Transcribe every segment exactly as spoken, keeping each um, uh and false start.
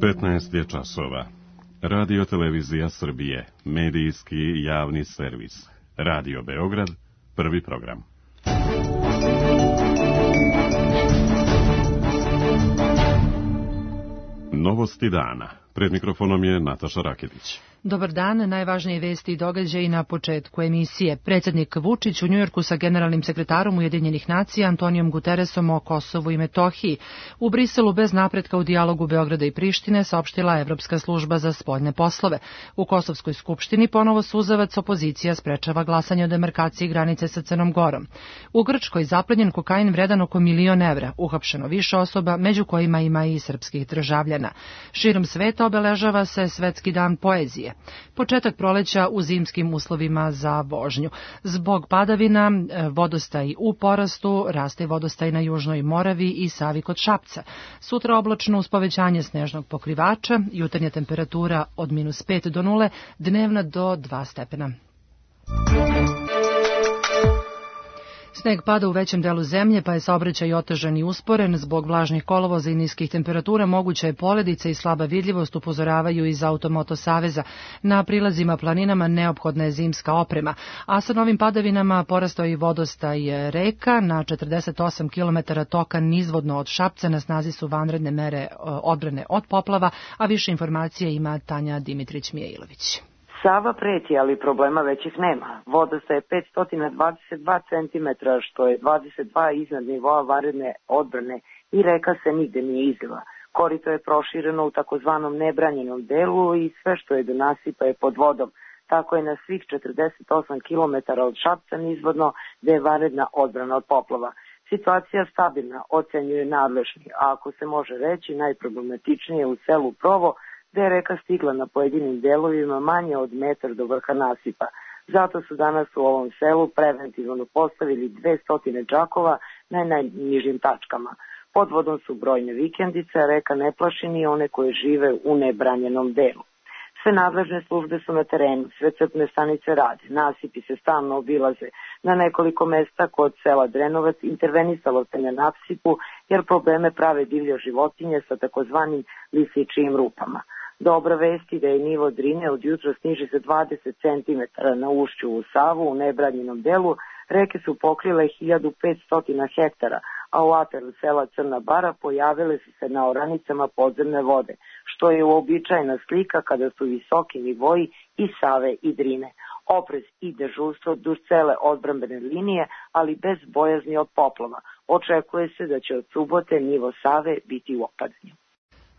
petnaest je časova. Radio Televizija Srbije, medijski javni servis. Radio Beograd, prvi program. Novosti dana. Pred mikrofonom je Nataša Raketić. Dobar dan, najvažnije vesti i događaji na početku emisije. Predsjednik Vučić u Njujorku sa generalnim sekretarom Ujedinjenih nacija Antonijom Guteresom o Kosovu i Metohiji. U Briselu bez napretka u dijalogu Beograda i Prištine saopštila Evropska služba za spoljne poslove. U Kosovskoj skupštini ponovo suzavac opozicija sprečava glasanje o demarkaciji granice sa Crnom Gorom. U Grčkoj zaplenjen kokain vredan oko milion evra, uhapšeno više osoba, među kojima ima i srpskih državljana. Širom sveta obeležava se Svetski dan poezije. Početak proleća u zimskim uslovima za vožnju. Zbog padavina vodostaj u porastu, raste vodostaj na Južnoj Moravi i Savi kod Šapca. Sutra oblačno uz povećanje snežnog pokrivača, jutarnja temperatura od minus pet do nule, dnevna do dva stepena. Sneg pada u većem delu zemlje, pa je saobraćaj otežan i usporen. Zbog vlažnih kolovoza i niskih temperatura moguća je poledica i slaba vidljivost, upozoravaju iz Automoto saveza. Na prilazima planinama neophodna je zimska oprema, a sa novim padavinama porastao i vodostaj reka. Na četrdeset osam kilometara toka nizvodno od Šapca na snazi su vanredne mere odbrane od poplava, a više informacija ima Tanja Dimitrić-Mijailović. Sava preti, ali problema većih nema. Vodostaj je petsto dvadeset dva centimetra, što je dvadeset dva iznad nivoa vanredne odbrane i reka se nigde nije izliva. Korito je prošireno u takozvanom nebranjenom delu i sve što je do nasipa je pod vodom. Tako je na svih četrdeset osam kilometara od Šapca nizvodno, gde je vanredna odbrana od poplava. Situacija stabilna, ocenjuje nadležni, a ako se može reći, najproblematičnije u selu Provo, gde je reka stigla na pojedinim delovima manje od metar do vrha nasipa. Zato su danas u ovom selu preventivno postavili dvesta džakova na najnižim tačkama. Pod vodom su brojne vikendice, a reka ne plaši ni one koje žive u nebranjenom delu. Sve nadležne službe su na terenu, sve crpne stanice rade, nasipi se stalno obilaze. Na nekoliko mesta kod sela Drenovac intervenisalo se na nasipu, jer probleme prave divlje životinje sa takozvanim lisičijim rupama. Dobra vesti da je nivo Drine od jutra sniži za dvadeset centimetara na ušću u Savu u nebranjenom delu. Reke su pokrile hiljadu petsto hektara, a u ataru sela Crna Bara pojavile su se na oranicama podzemne vode, što je uobičajena slika kada su visoki nivoji i Save i Drine. Oprez i dežurstvo duž cele odbrambene linije, ali bez bojazni od poplava. Očekuje se da će od subote nivo Save biti u opadanju.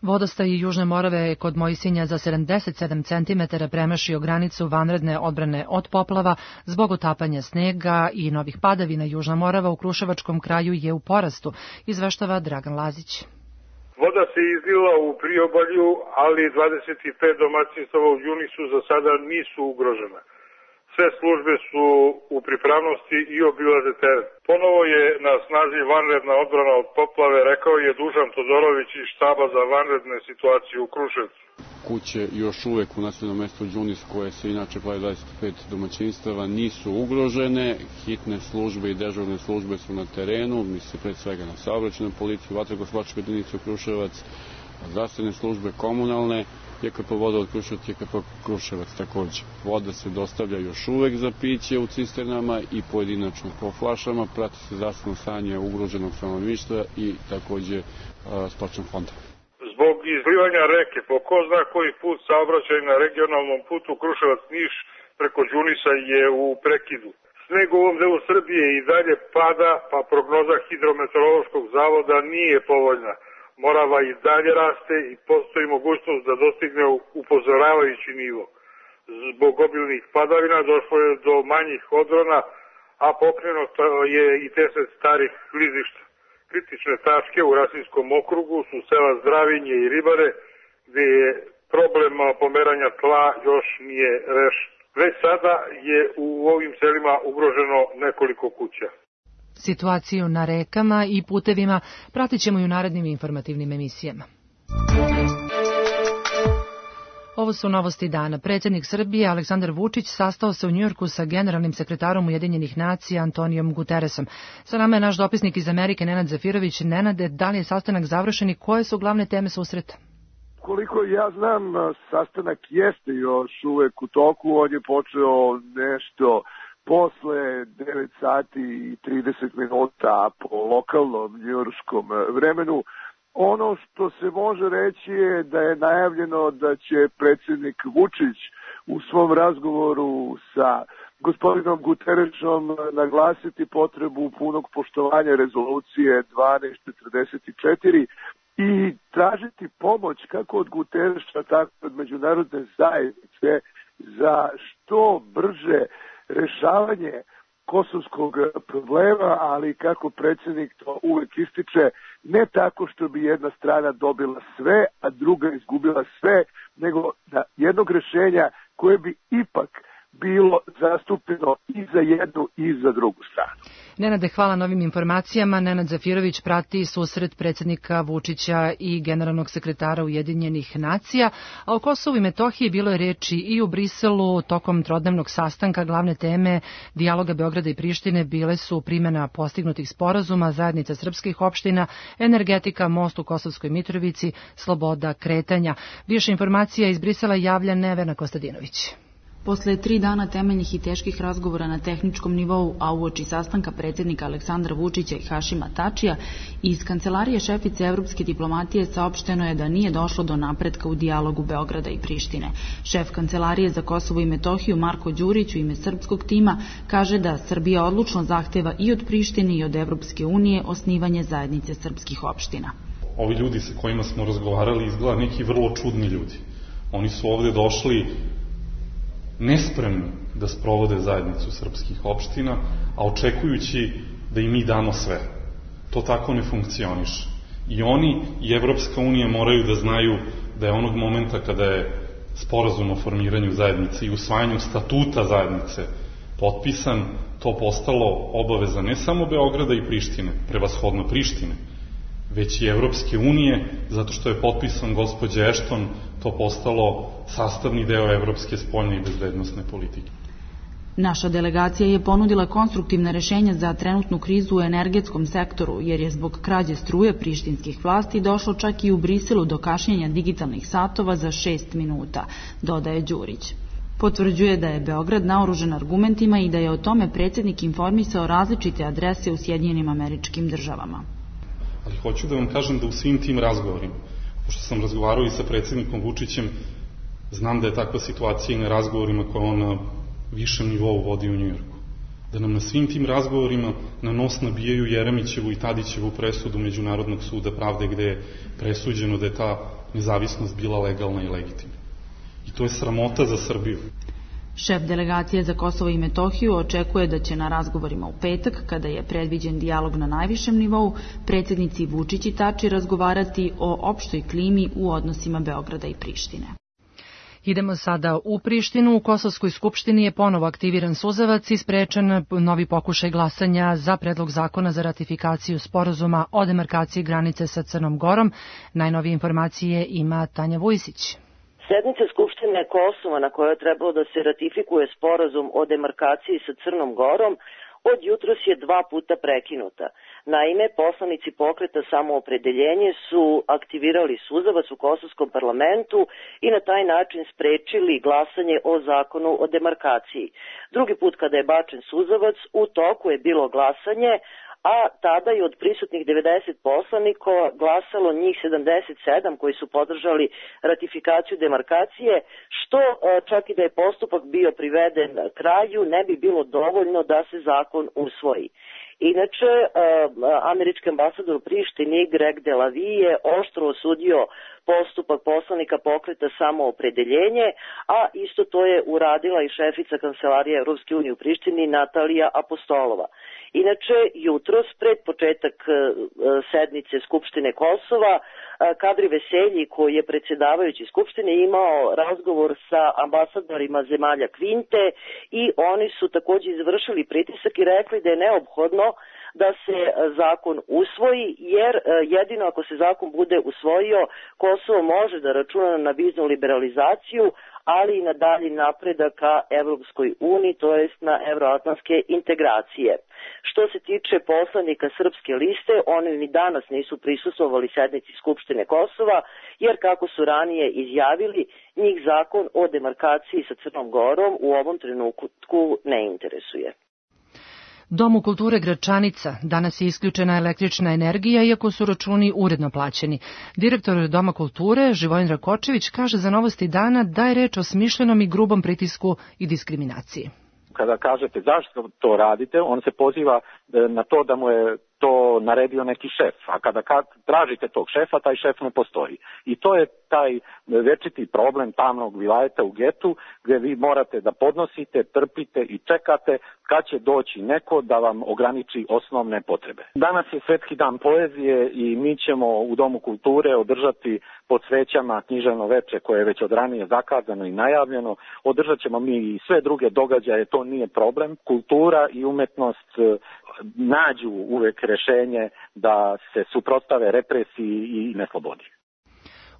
Vodostaj Južne Morave je kod Mojsinja za sedamdeset sedam centimetara premašio granicu vanredne odbrane od poplava zbog utapanja snega i novih padavina. Južna Morava u Kruševačkom kraju je u porastu, izveštava Dragan Lazić. Voda se izlila u priobalju, ali dvadeset pet domaćinstava u Đunisu za sada nisu ugrožena. Sve službe su u pripravnosti i obilaze teren. Ponovo je na snazi vanredna odbrana od poplave, rekao je Dušan Todorović iz štaba za vanredne situacije u Kruševcu. Kuće još uvek u naseljenom mestu Đunis, koje se inače pravi dvadeset pet domaćinstava, nisu ugrožene. Hitne službe i dežurne službe su na terenu, misli pred svega na saobraćajnu policiju, vatrogasnu jedinicu Kruševac, zdravstvene službe komunalne, J K P voda od Kruševac, J K P Kruševac takođe. Voda se dostavlja još uvek za piće u cisternama i pojedinačno po flašama, prati se zdravstveno stanje ugroženog stanovništva i takođe spačan fonda. Zbog izlivanja reke po ko zna koji put saobraćaj na regionalnom putu Kruševac-Niš preko Đunisa je u prekidu. Sneg u ovom delu Srbije i dalje pada, pa prognoza Hidrometeorološkog zavoda nije povoljna. Morava i dalje raste i postoji mogućnost da dostigne upozoravajući nivo. Zbog obilnih padavina došlo je do manjih odrona, a pokrenuto je i deset starih klizišta. Kritične tačke u Rasinskom okrugu su sela Zdravinje i Ribare, gde je problem pomeranja tla još nije rešen. Već sada je u ovim selima ugroženo nekoliko kuća. Situaciju na rekama i putevima pratit ćemo i u narednim informativnim emisijama. Ovo su novosti dana. Predsjednik Srbije Aleksandar Vučić sastao se u Njujorku sa generalnim sekretarom Ujedinjenih nacija Antonijom Guteresom. Sa nama je naš dopisnik iz Amerike Nenad Zafirović. Nenade, da li je sastanak završen i koje su glavne teme susreta? koliko ja znam, sastanak jeste još uvek u toku, on je počeo nešto posle devet sati i trideset minuta po lokalnom njujorskom vremenu. Ono što se može reći je da je najavljeno da će predsjednik Vučić u svom razgovoru sa gospodinom Guterešom naglasiti potrebu punog poštovanja rezolucije dvanaest četrdeset četiri i tražiti pomoć kako od Gutereša, tako od međunarodne zajednice za što brže rešavanje kosovskog problema, ali kako predsjednik to uvek ističe, ne tako što bi jedna strana dobila sve, a druga izgubila sve, nego da jednog rešenja koje bi ipak bilo zastupljeno i za jednu i za drugu stranu. Nenade, hvala na ovim informacijama. Nenad Zafirović prati susret predsjednika Vučića i generalnog sekretara Ujedinjenih nacija, a o Kosovu i Metohiji bilo je reči i u Briselu tokom trodnevnog sastanka. Glavne teme dijaloga Beograda i Prištine bile su primjena postignutih sporazuma, zajednica srpskih opština, energetika, most u Kosovskoj Mitrovici, sloboda kretanja. Više informacija iz Brisela javlja Nevena Kostadinović. Posle tri dana temeljnih i teških razgovora na tehničkom nivou, a uoči sastanka predsjednika Aleksandra Vučića i Hašima Tačija, iz kancelarije šefice evropske diplomatije saopšteno je da nije došlo do napretka u dijalogu Beograda i Prištine. Šef kancelarije za Kosovo i Metohiju Marko Đurić u ime srpskog tima kaže da Srbija odlučno zahteva i od Prištine i od Evropske unije osnivanje zajednice srpskih opština. Ovi ljudi sa kojima smo razgovarali izgleda neki vrlo čudni ljudi. Oni su ovde došli nespremni da sprovode zajednicu srpskih opština, a očekujući da im mi damo sve. To tako ne funkcioniše. I oni i Evropska unija moraju da znaju da je onog momenta kada je sporazum o formiranju zajednice i usvajanju statuta zajednice potpisan, to postalo obaveza ne samo Beograda i Prištine, prevashodno Prištine, već i Evropske unije, zato što je potpisan gospođe Ashton, to postalo sastavni deo evropske spoljne i bezbednosne politike. Naša delegacija je ponudila konstruktivna rešenja za trenutnu krizu u energetskom sektoru, jer je zbog krađe struje prištinskih vlasti došlo čak i u Briselu do kašnjenja digitalnih satova za šest minuta, dodaje Đurić. Potvrđuje da je Beograd naoružan argumentima i da je o tome predsjednik informisao različite adrese u Sjedinjenim Američkim Državama. Ali hoću da vam kažem da u svim tim razgovorima, pošto sam razgovarao i sa predsjednikom Vučićem, znam da je takva situacija i na razgovorima koje on na višem nivou vodi u Njujorku. Da nam na svim tim razgovorima na nos nabijaju Jeremićevu i Tadićevu presudu Međunarodnog suda pravde, gde je presuđeno da je ta nezavisnost bila legalna i legitimna. I to je sramota za Srbiju. Šef delegacije za Kosovo i Metohiju očekuje da će na razgovorima u petak, kada je predviđen dijalog na najvišem nivou, predsjednici Vučić i Tači razgovarati o opštoj klimi u odnosima Beograda i Prištine. Idemo sada u Prištinu. U Kosovskoj skupštini je ponovo aktiviran suzavac i sprečen novi pokušaj glasanja za predlog zakona za ratifikaciju sporazuma o demarkaciji granice sa Crnom Gorom. Najnovije informacije ima Tanja Vujsić. Sednica Skupštine Kosova na kojoj je trebalo da se ratifikuje sporazum o demarkaciji sa Crnom Gorom od jutros je dva puta prekinuta. Naime, poslanici pokreta Samoopredeljenje su aktivirali suzavac u kosovskom parlamentu i na taj način sprečili glasanje o zakonu o demarkaciji. Drugi put kada je bačen suzavac, u toku je bilo glasanje, a tada je od prisutnih devedeset poslanika glasalo njih sedamdeset sedam koji su podržali ratifikaciju demarkacije, što čak i da je postupak bio priveden kraju, ne bi bilo dovoljno da se zakon usvoji. Inače, američki ambasador u Prištini Greg Delavi je oštro osudio postupak poslanika pokreta Samoopredeljenje, a isto to je uradila i šefica Kancelarije Evropske unije u Prištini Natalija Apostolova. Inače, jutros, pred početak sednice Skupštine Kosova, Kadri Veselji, koji je predsjedavajući Skupštine, imao razgovor sa ambasadorima zemalja Kvinte i oni su također izvršili pritisak i rekli da je neophodno da se zakon usvoji, jer jedino ako se zakon bude usvojio, Kosovo može da računa na viznu liberalizaciju, ali i na dalji napredak ka Evropskoj uniji, to jest na evroatlantske integracije. Što se tiče poslanika Srpske liste, oni ni danas nisu prisustvovali sednici Skupštine Kosova, jer kako su ranije izjavili, njih zakon o demarkaciji sa Crnom Gorom u ovom trenutku ne interesuje. Domu kulture Gračanica danas je isključena električna energija, iako su računi uredno plaćeni. Direktor Doma kulture, Živojin Rakočević, kaže za Novosti dana da je reč o smišljenom i grubom pritisku i diskriminaciji. Kada kažete zašto to radite, on se poziva na to da mu je to naredio neki šef, a kada tražite tog šefa, taj šef ne postoji. I to je taj večiti problem tamnog vilajeta u getu, gdje vi morate da podnosite, trpite i čekate kad će doći neko da vam ograniči osnovne potrebe. Danas je Svetski dan poezije i mi ćemo u Domu kulture održati pod svećama književno veče koje je već od ranije zakazano i najavljeno. Održat ćemo mi i sve druge događaje, to nije problem. Kultura i umetnost nađu uvek rešenje da se suprotstave represiji i neslobodi.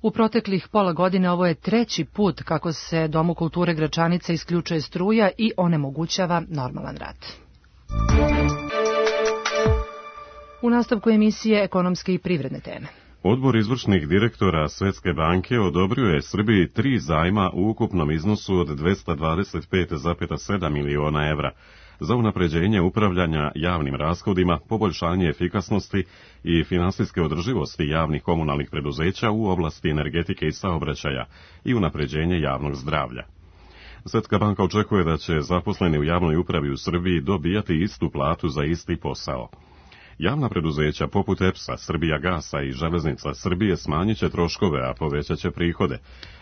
U proteklih pola godine ovo je treći put kako se Domu kulture Gračanica isključuje struja i onemogućava normalan rad. U nastavku emisije ekonomske i privredne teme. Odbor izvršnih direktora Svetske banke odobrio je Srbiji tri zajma u ukupnom iznosu od dvesta dvadeset pet zarez sedam miliona evra za unapređenje upravljanja javnim rashodima, poboljšanje efikasnosti i finansijske održivosti javnih komunalnih preduzeća u oblasti energetike i saobraćaja i unapređenje javnog zdravlja. Svetska banka očekuje da će zaposleni u javnoj upravi u Srbiji dobijati istu platu za isti posao. Javna preduzeća poput E P S-a, Srbijagasa i Železnica Srbije smanjit će troškove, a povećat će prihode,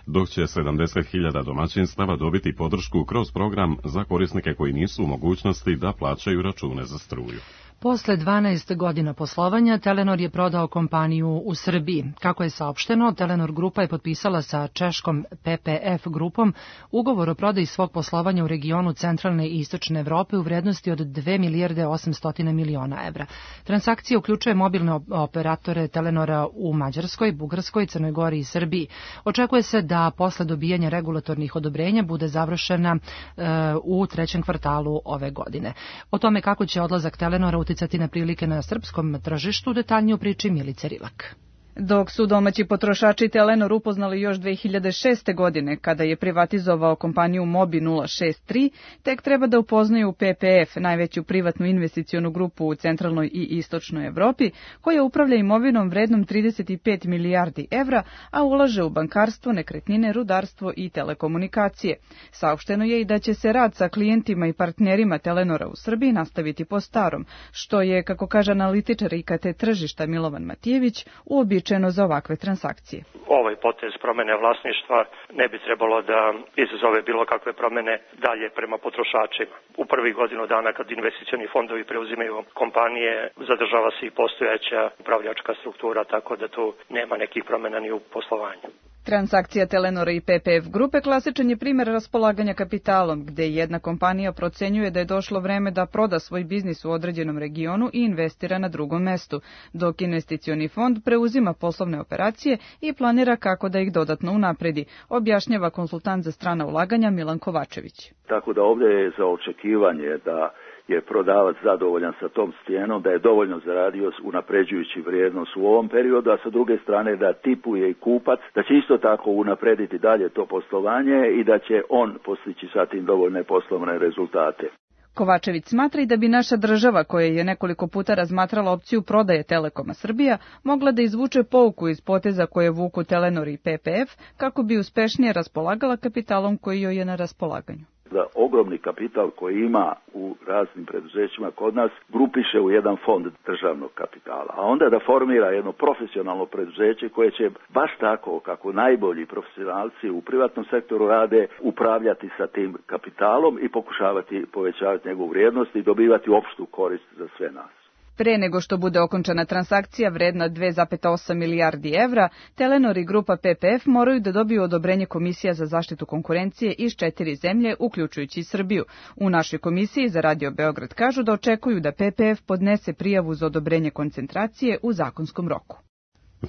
dok će sedamdeset hiljada domaćinstava dobiti podršku kroz program za korisnike koji nisu u mogućnosti da plaćaju račune za struju. Posle dvanaest godina poslovanja, Telenor je prodao kompaniju u Srbiji. Kako je saopšteno, Telenor grupa je potpisala sa češkom P P F grupom ugovor o prodaji svog poslovanja u regionu centralne i istočne Evrope u vrednosti od dve milijarde osamsto miliona evra. Transakcija uključuje mobilne operatore Telenora u Mađarskoj, Bugarskoj, Crnoj Gori i Srbiji. Očekuje se da posle dobijanja regulatornih odobrenja bude završena e, u trećem kvartalu ove godine. O tome kako će odlazak Telenora uticati na prilike na srpskom tržištu, detaljnije u priči Milice Rilak. Dok su domaći potrošači Telenor upoznali još dve hiljade šeste. godine, kada je privatizovao kompaniju Mobi nula šest tri, tek treba da upoznaju P P F, najveću privatnu investicionu grupu u centralnoj i istočnoj Evropi, koja upravlja imovinom vrednom trideset pet milijardi evra, a ulaže u bankarstvo, nekretnine, rudarstvo i telekomunikacije. Saopšteno je i da će se rad sa klijentima i partnerima Telenora u Srbiji nastaviti po starom, što je, kako kaže analitičar I K T tržišta Milovan Matijević, uobičajeno za ovakve transakcije. Ovaj potez promene vlasništva ne bi trebalo da izazove bilo kakve promene dalje prema potrošačima. U prvih godinu dana kad investicioni fondovi preuzimaju kompanije, zadržava se i postojeća upravljačka struktura, tako da tu nema nekih promena ni u poslovanju. Transakcija Telenora i P P F grupe klasičan je primjer raspolaganja kapitalom, gde jedna kompanija procenjuje da je došlo vreme da proda svoj biznis u određenom regionu i investira na drugom mestu, dok investicioni fond preuzima poslovne operacije i planira kako da ih dodatno unapredi, objašnjava konsultant za strana ulaganja Milan Kovačević. Tako da ovdje je za očekivanje da je prodavac zadovoljan sa tom cijenom, da je dovoljno zaradio unapređujući vrijednost u ovom periodu, a sa druge strane da tipuje i kupac, da će isto tako unaprediti dalje to poslovanje i da će on postići sa tim dovoljne poslovne rezultate. Kovačević smatra i da bi naša država, koja je nekoliko puta razmatrala opciju prodaje Telekoma Srbija, mogla da izvuče pouku iz poteza koje vuku Telenor i P P F kako bi uspešnije raspolagala kapitalom koji joj je na raspolaganju. Da ogromni kapital koji ima u raznim preduzećima kod nas grupiše u jedan fond državnog kapitala, a onda da formira jedno profesionalno preduzeće koje će baš tako kako najbolji profesionalci u privatnom sektoru rade upravljati sa tim kapitalom i pokušavati povećavati njegovu vrijednost i dobivati opštu korist za sve nas. Pre nego što bude okončana transakcija vredna dve zarez osam milijardi evra, Telenor i grupa P P F moraju da dobiju odobrenje Komisija za zaštitu konkurencije iz četiri zemlje, uključujući i Srbiju. U našoj komisiji za Radio Beograd kažu da očekuju da P P F podnese prijavu za odobrenje koncentracije u zakonskom roku.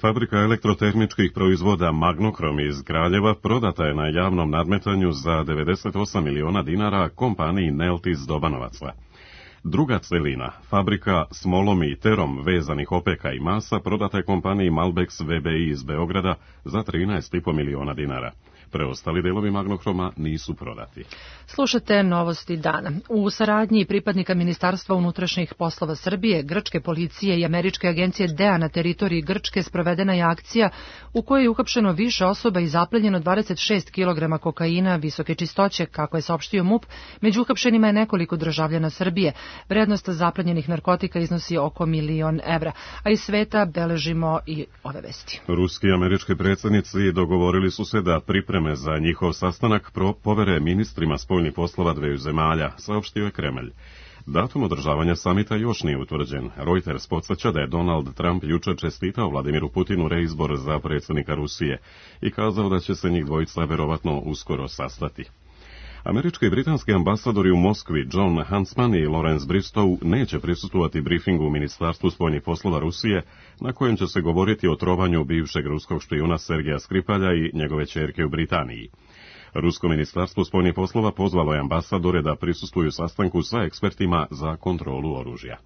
Fabrika elektrotehničkih proizvoda Magnokrom iz Kraljeva prodata je na javnom nadmetanju za devedeset osam miliona dinara kompaniji Neltis Dobanovaca. Druga celina, fabrika s molom i terom vezanih opeka i masa, prodata je kompaniji Malbex V B I iz Beograda za trinaest i po miliona dinara. Preostali delovi Magnokroma nisu prodati. Slušate novosti dana. U saradnji pripadnika Ministarstva unutrašnjih poslova Srbije, grčke policije i američke agencije D E A na teritoriji Grčke sprovedena je akcija u kojoj je uhapšeno više osoba i zaplenjeno dvadeset šest kilograma kokaina visoke čistoće, kako je saopštio M U P. Među uhapšenima je nekoliko državljana Srbije. Vrednost zaplenjenih narkotika iznosi oko milion evra, a iz sveta beležimo i ove vesti. Ruski i američki predsjednici dogovorili su se da pripreme za njihov sastanak povere ministrima spoljnih poslova dveju zemalja, saopštio je Kremlj. Datum održavanja samita još nije utvrđen. Reuters podsjeća da je Donald Trump jučer čestitao Vladimiru Putinu reizbor za predsjednika Rusije i kazao da će se njih dvojica verovatno uskoro sastati. Američki i britanski ambasadori u Moskvi John Huntsman i Lawrence Bristow neće prisustvovati briefingu u Ministarstvu spoljnih poslova Rusije, na kojem će se govoriti o trovanju bivšeg ruskog špijuna Sergeja Skripalja i njegove ćerke u Britaniji. Rusko ministarstvo spoljnih poslova pozvalo je ambasadore da prisustvuju sastanku sa ekspertima za kontrolu oružja.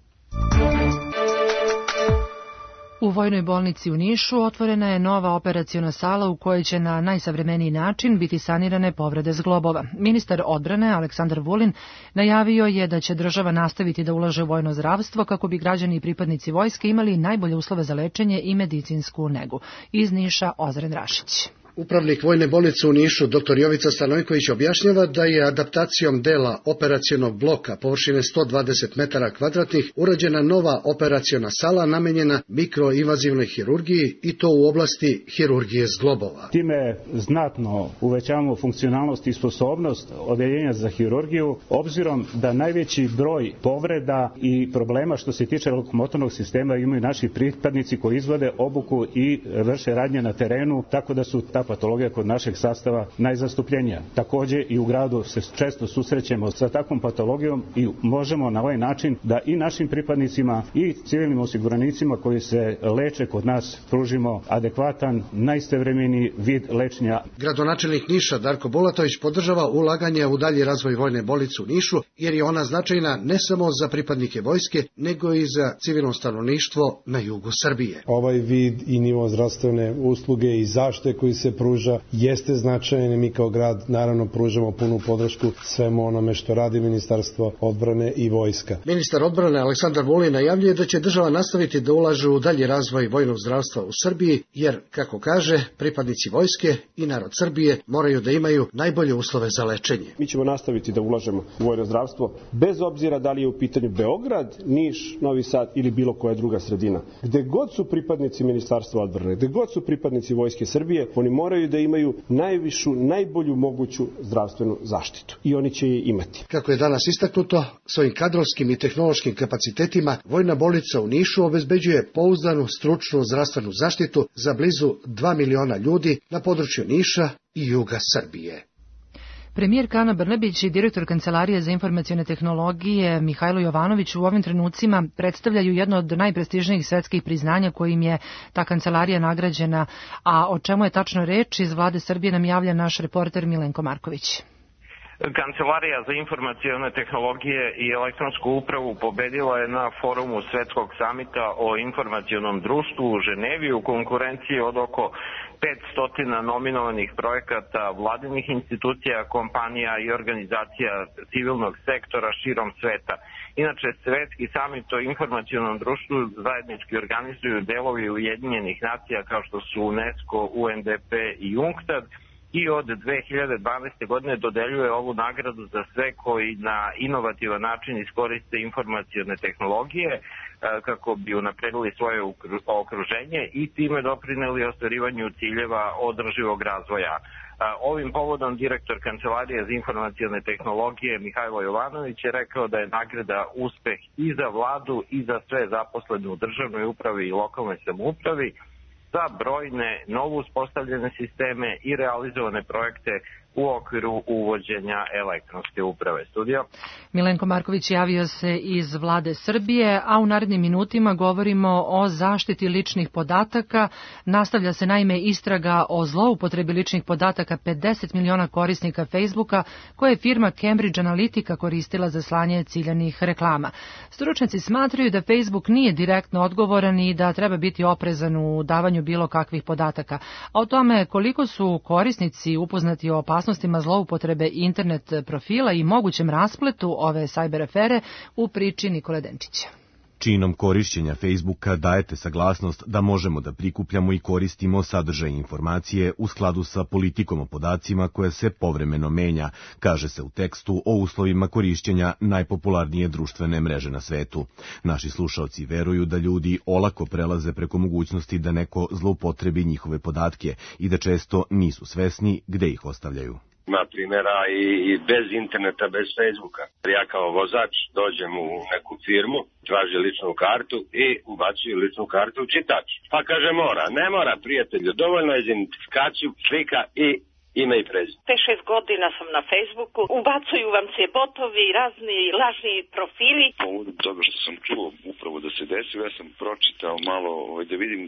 U Vojnoj bolnici u Nišu otvorena je nova operaciona sala u kojoj će na najsavremeniji način biti sanirane povrede zglobova. Ministar odbrane Aleksandar Vulin najavio je da će država nastaviti da ulaže u vojno zdravstvo kako bi građani i pripadnici vojske imali najbolje uslove za lečenje i medicinsku negu. Iz Niša Ozren Rašić. Upravnik Vojne bolnice u Nišu, dr Jovica Stanojković, objašnjava da je adaptacijom dela operacionog bloka površine sto dvadeset metara kvadratnih urađena nova operaciona sala namenjena mikroinvazivnoj hirurgiji i to u oblasti hirurgije zglobova. Time znatno uvećavamo funkcionalnost i sposobnost odeljenja za hirurgiju, obzirom da najveći broj povreda i problema što se tiče lokomotornog sistema imaju naši pripadnici koji izvode obuku i vrše radnje na terenu, tako da su ta patologija kod našeg sastava najzastupljenija. Također i u gradu se često susrećemo sa takvom patologijom i možemo na ovaj način da i našim pripadnicima i civilnim osiguranicima koji se leče kod nas pružimo adekvatan, najsavremeniji vid lečenja. Gradonačelnik Niša Darko Bulatović podržava ulaganje u dalji razvoj Vojne bolnice u Nišu, jer je ona značajna ne samo za pripadnike vojske, nego i za civilno stanovništvo na jugu Srbije. Ovaj vid i nivo zdravstvene usluge i zaštite koji se pruža jeste značajan. Mi kao grad naravno pružamo punu podršku svemu onome što radi Ministarstvo odbrane i vojska. Ministar odbrane Aleksandar Vulin najavljuje da će država nastaviti da ulaže u dalji razvoj vojnog zdravstva u Srbiji, jer, kako kaže, pripadnici vojske i narod Srbije moraju da imaju najbolje uslove za lečenje. Mi ćemo nastaviti da ulažemo u vojno zdravstvo, bez obzira da li je u pitanju Beograd, Niš, Novi Sad ili bilo koja druga sredina. Gde god su pripadnici Ministarstva odbrane, gde god su pripadnici Vojske Srbije, oni moraju da imaju najvišu, najbolju moguću zdravstvenu zaštitu. I oni će je imati. Kako je danas istaknuto, svojim kadrovskim i tehnološkim kapacitetima Vojna bolnica u Nišu obezbeđuje pouzdanu, stručnu zdravstvenu zaštitu za blizu dva miliona ljudi na području Niša i juga Srbije. Premijer Ana Brnabić i direktor Kancelarije za informacione tehnologije Mihajlo Jovanović u ovim trenucima predstavljaju jedno od najprestižnijih svetskih priznanja kojim je ta kancelarija nagrađena, a o čemu je tačno reč iz Vlade Srbije nam javlja naš reporter Milenko Marković. Kancelarija za informacione tehnologije i elektronsku upravu pobedila je na forumu Svetskog samita o informacionom društvu u Ženevi u konkurenciji od oko petsto nominovanih projekata vladinih institucija, kompanija i organizacija civilnog sektora širom sveta. Inače, Svetski samit o informacionom društvu zajednički organizuju delovi Ujedinjenih nacija kao što su UNESCO, U N D P i UNCTAD, i od dve hiljade dvanaeste. godine dodeljuje ovu nagradu za sve koji na inovativan način iskoriste informacione tehnologije kako bi unapredili svoje okruženje i time doprineli ostvarivanju ciljeva održivog razvoja. Ovim povodom direktor Kancelarije za informacione tehnologije Mihajlo Jovanović je rekao da je nagrada uspeh i za vladu i za sve zaposlene u državnoj upravi i lokalnoj samoupravi za brojne novo uspostavljene sisteme i realizovane projekte u okviru uvođenja elektronske uprave. Studio. Milenko Marković javio se iz Vlade Srbije, a u narednim minutima govorimo o zaštiti ličnih podataka. Nastavlja se naime istraga o zloupotrebi ličnih podataka pedeset miliona korisnika Facebooka koje je firma Cambridge Analytica koristila za slanje ciljanih reklama. Stručnjaci smatraju da Facebook nije direktno odgovoran i da treba biti oprezan u davanju bilo kakvih podataka. A o tome koliko su korisnici upoznati o opasnostima zloupotrebe internet profila i mogućem raspletu ove sajber afere u priči Nikole Denčića. Činom korišćenja Facebooka dajete saglasnost da možemo da prikupljamo i koristimo sadržaj informacije u skladu sa politikom o podacima koja se povremeno menja, kaže se u tekstu o uslovima korišćenja najpopularnije društvene mreže na svetu. Naši slušaoci veruju da ljudi olako prelaze preko mogućnosti da neko zloupotrebi njihove podatke i da često nisu svesni gde ih ostavljaju. Ima primjera i, i bez interneta, bez Facebooka. Ja kao vozač dođem u neku firmu, traži ličnu kartu i ubacuju ličnu kartu u čitač. Pa kaže mora, ne mora prijatelju, dovoljno je za identifikaciju, slika i ime i prezime. pet šest godina sam na Facebooku, ubacuju vam se botovi, razni lažni profili. Povodom toga što sam čuo upravo da se desilo, ja sam pročitao malo ovaj, da vidim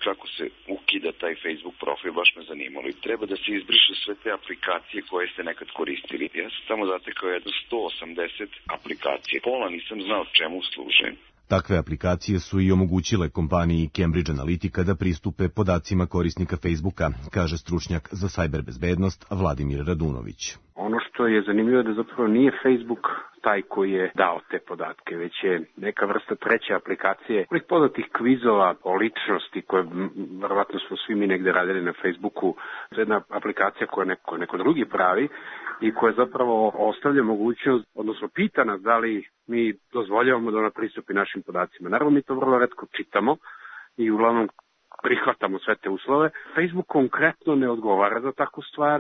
kako se ukida taj Facebook profil, baš me zanimalo. I treba da se izbriše sve te aplikacije koje ste nekad koristili. Ja sam tamo zatekao jedno sto osamdeset aplikacije. Pola nisam znao čemu služe. Takve aplikacije su i omogućile kompaniji Cambridge Analytica da pristupe podacima korisnika Facebooka, kaže stručnjak za sajberbezbednost Vladimir Radunović. Ono što je zanimljivo je da zapravo nije Facebook taj koji je dao te podatke, već je neka vrsta treće aplikacije, ovih poznatih kvizova o ličnosti koje verovatno smo svi mi negde radili na Facebooku. To je jedna aplikacija koja neko, neko drugi pravi i koja zapravo ostavlja mogućnost, odnosno pita nas da li mi dozvoljavamo da ona pristupi našim podacima. Naravno mi to vrlo retko čitamo i uglavnom prihvatamo sve te uslove. Facebook konkretno ne odgovara za takvu stvar.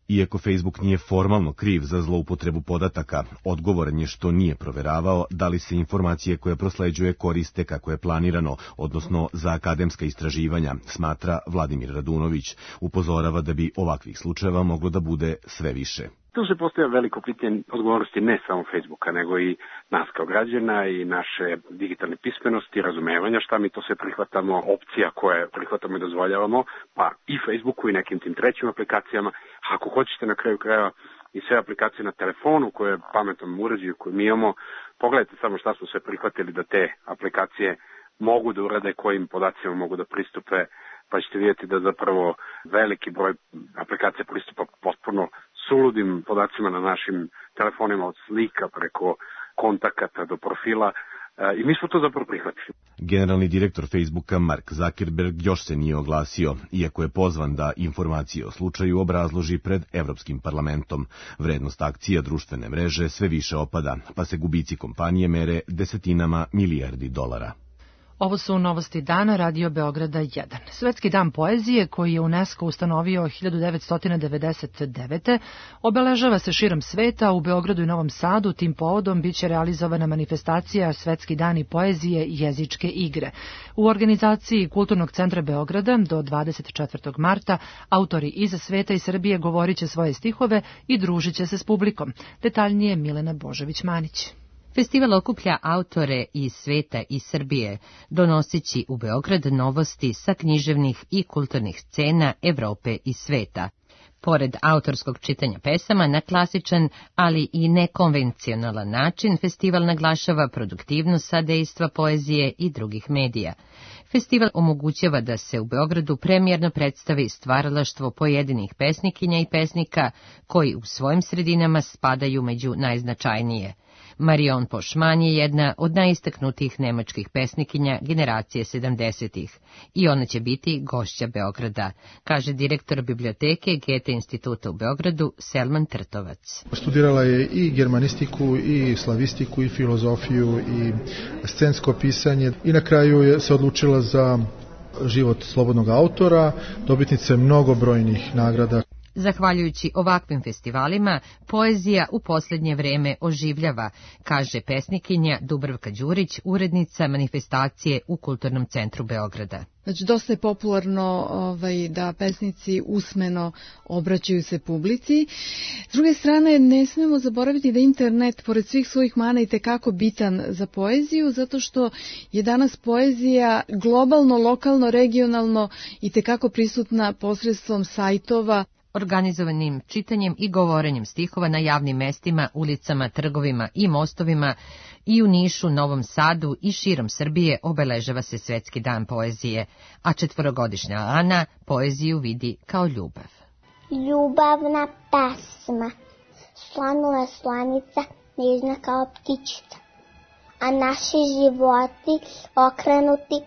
Iako Facebook nije formalno kriv za zloupotrebu podataka, odgovoran je što nije proveravao da li se informacije koje prosleđuje koriste kako je planirano, odnosno za akademska istraživanja, smatra Vladimir Radunović. Upozorava da bi ovakvih slučajeva moglo da bude sve više. Tu se postavlja veliko pitanje odgovornosti ne samo Facebooka, nego i nas kao građana i naše digitalne pismenosti, razumevanja šta mi to sve prihvatamo, opcija koje prihvatamo i dozvoljavamo, pa i Facebooku i nekim tim trećim aplikacijama. Ako hoćete na kraju krajeva i sve aplikacije na telefonu koje pametnom uređaju koje mi imamo, pogledajte samo šta smo sve prihvatili da te aplikacije mogu da urade, kojim podacima mogu da pristupe, pa ćete vidjeti da zapravo veliki broj aplikacija pristupa potpuno suludim podacima na našim telefonima, od slika preko kontakata do profila, i mi smo to zapravo prihvatili. Generalni direktor Facebooka Mark Zuckerberg još se nije oglasio, iako je pozvan da informacije o slučaju obrazloži pred Evropskim parlamentom. Vrednost akcija društvene mreže sve više opada, pa se gubici kompanije mere desetinama milijardi dolara. Ovo su novosti dana Radio Beograda jedan. Svetski dan poezije, koji je UNESCO ustanovio hiljadu devetsto devedeset devete. obeležava se širom sveta, u Beogradu i Novom Sadu. Tim povodom biće realizovana manifestacija Svetski dani poezije i jezičke igre. U organizaciji Kulturnog centra Beograda do dvadeset četvrtog marta autori iz sveta i Srbije govorit će svoje stihove i družit će se s publikom. Detaljnije Milena Božović-Manić. Festival okuplja autore iz sveta i Srbije, donosići u Beograd novosti sa književnih i kulturnih scena Evrope i sveta. Pored autorskog čitanja pesama na klasičan, ali i nekonvencionalan način, festival naglašava produktivnost sadejstva poezije i drugih medija. Festival omogućava da se u Beogradu premijerno predstavi stvaralaštvo pojedinih pesnikinja i pesnika koji u svojim sredinama spadaju među najznačajnije. Marion Pošman je jedna od najistaknutijih nemačkih pesnikinja generacije sedamdesetih i ona će biti gošća Beograda, kaže direktor biblioteke Goethe instituta u Beogradu Selman Trtovac. Studirala je i germanistiku, i slavistiku, i filozofiju, i scensko pisanje i na kraju je se odlučila za život slobodnog autora, dobitnice mnogobrojnih nagrada. Zahvaljujući ovakvim festivalima, poezija u posljednje vreme oživljava, kaže pesnikinja Dubravka Đurić, urednica manifestacije u Kulturnom centru Beograda. Znači, dosta je popularno ovaj, da pesnici usmeno obraćaju se publici. S druge strane, ne smemo zaboraviti da internet, pored svih svojih mana, i tekako bitan za poeziju, zato što je danas poezija globalno, lokalno, regionalno i tekako prisutna posredstvom sajtova, organizovanim čitanjem i govorenjem stihova na javnim mestima, ulicama, trgovima i mostovima. I u Nišu, Novom Sadu i širom Srbije obeležava se Svetski dan poezije, a četvorogodišnja Ana poeziju vidi kao ljubav. Ljubavna pesma, slanula slanica, nežna kao ptičica, a naši životi okrenuti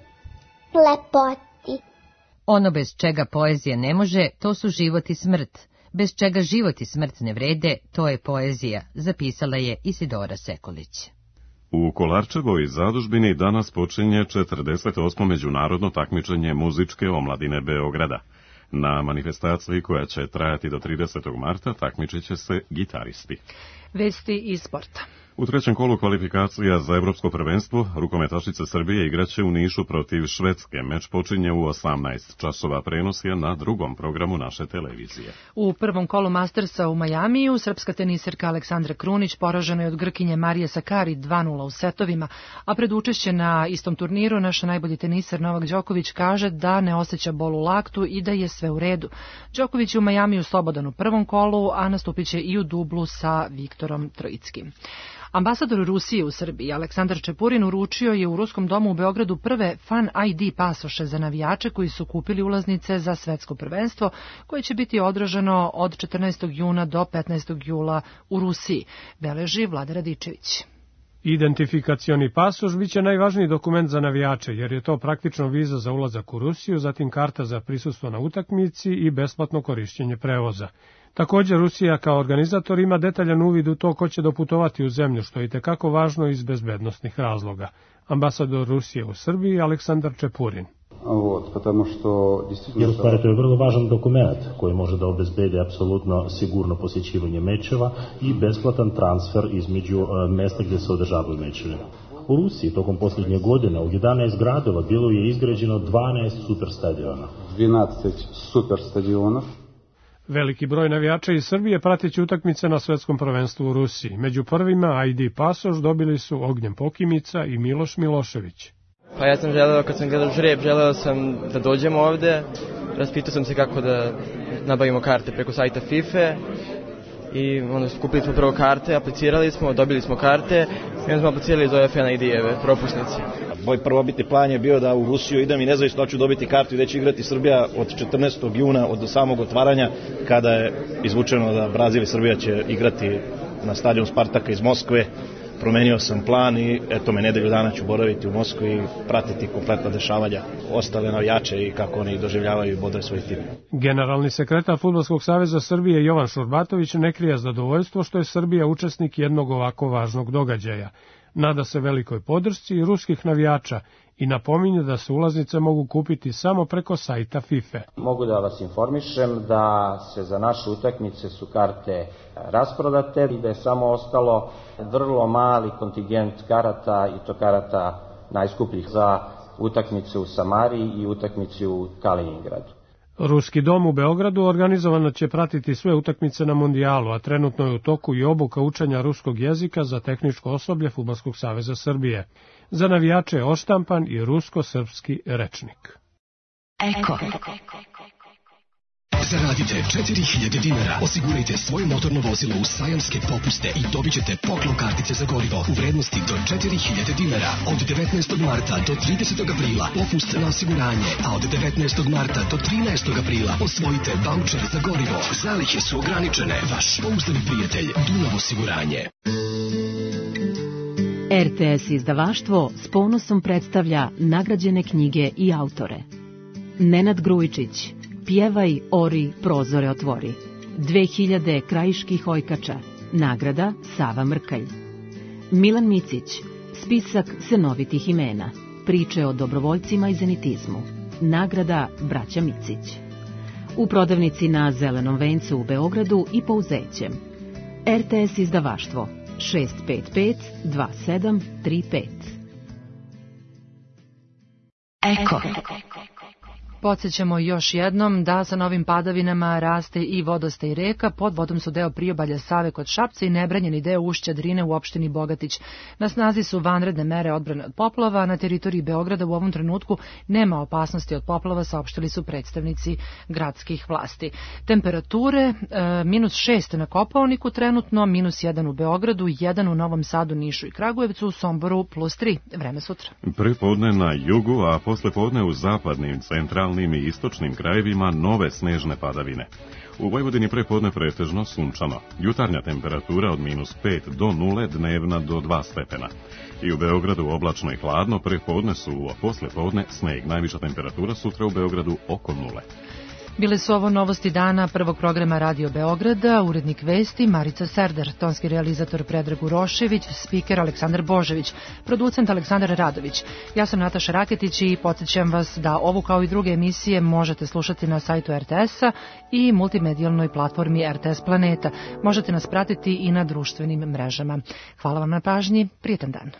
lepoti. Ono bez čega poezija ne može, to su život i smrt. Bez čega život i smrt ne vrede, to je poezija, zapisala je Isidora Sekulić. U Kolarčevoj zadužbini danas počinje četrdeset osmo međunarodno takmičenje muzičke omladine Beograda. Na manifestaciji koja će trajati do tridesetog marta takmičit će se gitaristi. Vesti iz sporta. U trećem kolu kvalifikacija za evropsko prvenstvo rukometašice Srbije igraće u Nišu protiv Švedske. Meč počinje u osamnaest časova, prenos je na drugom programu naše televizije. U prvom kolu Mastersa u Majamiju srpska teniserka Aleksandra Krunić poražena je od Grkinje Marije Sakari dva nula u setovima, a pred učešće na istom turniru naš najbolji teniser Novak Đoković kaže da ne osjeća bol u laktu i da je sve u redu. Đoković je u Majamiju slobodan u prvom kolu, a nastupit će i u dublu sa Viktorom Trojickim. Ambasador Rusije u Srbiji Aleksandar Čepurin uručio je u Ruskom domu u Beogradu prve Fan I D pasoše za navijače koji su kupili ulaznice za svetsko prvenstvo, koje će biti održano od četrnaestog juna do petnaestog jula u Rusiji, beleži Vlada Radičević. Identifikacioni pasoš biće najvažniji dokument za navijače, jer je to praktično viza za ulazak u Rusiju, zatim karta za prisustvo na utakmici i besplatno korišćenje prevoza. Također, Rusija kao organizator ima detaljan uvid u to ko će doputovati u zemlju, što je itekako važno iz bezbednosnih razloga. Ambasador Rusije u Srbiji Aleksandar Čepurin. Вот, потому что действительно... Jer u stvari to je vrlo važan dokument koji može da obezbedi apsolutno sigurno posjećivanje mečeva i besplatan transfer između mesta gdje se održavaju mečevi. U Rusiji tokom posljednje godine u jedanaest gradova bilo je izgrađeno dvanaest superstadiona. dvanaest superstadionov. Veliki broj navijača iz Srbije prateći utakmice na svetskom prvenstvu u Rusiji. Među prvima I D pasoš dobili su Ognjen Pokimica i Miloš Milošević. Pa ja sam želeo, kad sam gledao žreb, želeo sam da dođemo ovde, raspitao sam se kako da nabavimo karte preko sajta FIFA i onda skupili smo prvo karte, aplicirali smo, dobili smo karte i onda smo aplicirali iz ove Fan I D-eve propusnice. Moj prvobitni plan je bio da u Rusiju idem i nezavisno hoću dobiti kartu i da će igrati Srbija od četrnaestog juna od samog otvaranja, kada je izvučeno da Brazil i Srbija će igrati na stadionu Spartaka iz Moskve. Promenio sam plan i eto me nedelju dana ću boraviti u Moskvi i pratiti kompletna dešavanja ostale navijače i kako oni doživljavaju i bodaju svoj tim. Generalni sekretar Fudbalskog saveza Srbije Jovan Šurbatović ne krije zadovoljstvo što je Srbija učesnik jednog ovako važnog događaja. Nada se velikoj podršci ruskih navijača i napominje da se ulaznice mogu kupiti samo preko sajta FIFA. Mogu da vas informišem da se za naše utakmice su karte rasprodate i da je samo ostalo vrlo mali kontingent karata i to karata najskupljih za utakmice u Samariji i utakmice u Kaliningradu. Ruski dom u Beogradu organizovano će pratiti sve utakmice na mondijalu, a trenutno je u toku i obuka učenja ruskog jezika za tehničko osoblje Fudbalskog saveza Srbije. Za navijače je oštampan i rusko-srpski rečnik. Eko. Zaradite četiri hiljade dinara, osigurajte svoje motorno vozilo u sajamske popuste i dobit ćete poklon kartice za gorivo u vrednosti do četiri hiljade dinara. Od devetnaestog marta do tridesetog aprila popust na osiguranje, a od devetnaestog marta do trinaestog aprila osvojite vaučer za gorivo. Zalihe su ograničene. Vaš pouzdani prijatelj Dunav osiguranje. R T S izdavaštvo s ponosom predstavlja nagrađene knjige i autore. Nenad Grujičić, Pjevaj, ori, prozore otvori. dve hiljade krajiških ojkača. Nagrada Sava Mrkalj. Milan Micić, spisak senovitih imena. Priče o dobrovoljcima i zenitizmu. Nagrada Braća Micić. u prodavnici na Zelenom vencu u Beogradu i Pouzećem. R T S izdavaštvo šest pet pet dva sedam tri pet. Eko. Podsjećamo još jednom da sa novim padavinama raste i vodostaj reka. Pod vodom su deo priobalja Save kod Šapca i nebranjeni deo ušća Drine u opštini Bogatić. Na snazi su vanredne mere odbrane od poplava. Na teritoriji Beograda u ovom trenutku nema opasnosti od poplava, saopštili su predstavnici gradskih vlasti. Temperature e, minus šest na Kopaoniku trenutno, minus jedan u Beogradu, jedan u Novom Sadu, Nišu i Kragujevcu, u Somboru plus tri. Vreme sutra. Prepodne na jugu, a poslepodne u zapadnim, centralnim i istočnim krajevima nove snežne padavine. U Vojvodini prepodne pretežno sunčano. Jutarnja temperatura od minus pet do nule, dnevna do dva stepena. I u Beogradu oblačno i hladno, prepodne su, a poslepodne sneg. Najviša temperatura sutra u Beogradu oko nule. Bile su ovo novosti dana prvog programa Radio Beograda, urednik vesti Marica Serder, tonski realizator Predrag Urošević, spiker Aleksandar Božević, producent Aleksandar Radović. Ja sam Nataša Raketić i podsjećam vas da ovu kao i druge emisije možete slušati na sajtu R T S-a i multimedijalnoj platformi R T S Planeta. Možete nas pratiti i na društvenim mrežama. Hvala vam na pažnji, prijetan dan.